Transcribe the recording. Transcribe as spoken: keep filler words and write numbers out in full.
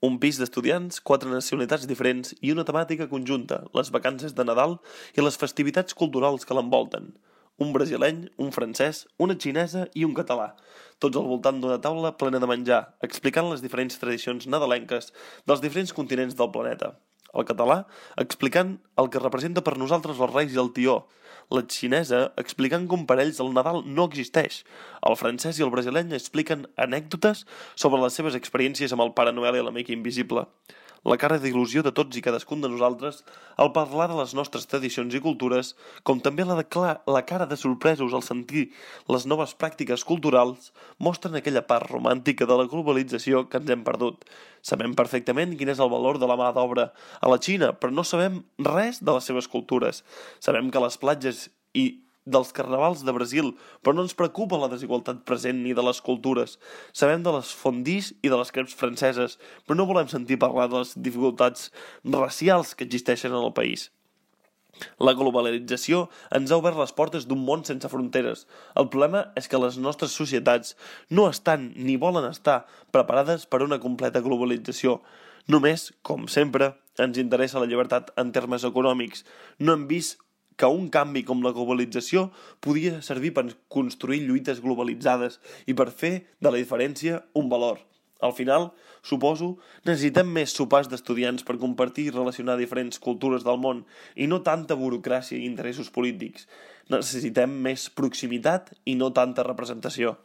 Un pis d'estudiants, quatre nacionalitats diferents i una temàtica conjunta, les vacances de Nadal i les festivitats culturals que l'envolten. Un brasileny, un francès, una xinesa i un català, tots al voltant d'una taula plena de menjar, explicant les diferents tradicions nadalenques dels diferents continents del planeta. El català explicant el que representa per nosaltres els reis i el tió, la xinesa explicant com per ells el Nadal no existeix, el francès i el brasileny expliquen anècdotes sobre les seves experiències amb el Pare Noel i l'amic invisible. La cara d'il·lusió de tots i cadascun de nosaltres al parlar de les nostres tradicions i cultures, com també la, de clar, la cara de sorpresos al sentir les noves pràctiques culturals, mostren aquella part romàntica de la globalització que ens hem perdut. Sabem perfectament quin és el valor de la mà d'obra a la Xina, però no sabem res de les seves cultures. Sabem que les platges i dels carnavals de Brasil, però no ens preocupa la desigualtat present ni de les cultures. Sabem de les fondis i de les creps franceses, però no volem sentir parlar de les dificultats racials que existeixen en el país. La globalització ens ha obert les portes d'un món sense fronteres. El problema és que les nostres societats no estan ni volen estar preparades per una completa globalització. Només, com sempre, ens interessa la llibertat en termes econòmics. No hem vist que un canvi com la globalització podia servir per construir lluites globalitzades i per fer de la diferència un valor. Al final, suposo, necessitem més sopars d'estudiants per compartir i relacionar diferents cultures del món i no tanta burocràcia i interessos polítics. Necessitem més proximitat i no tanta representació.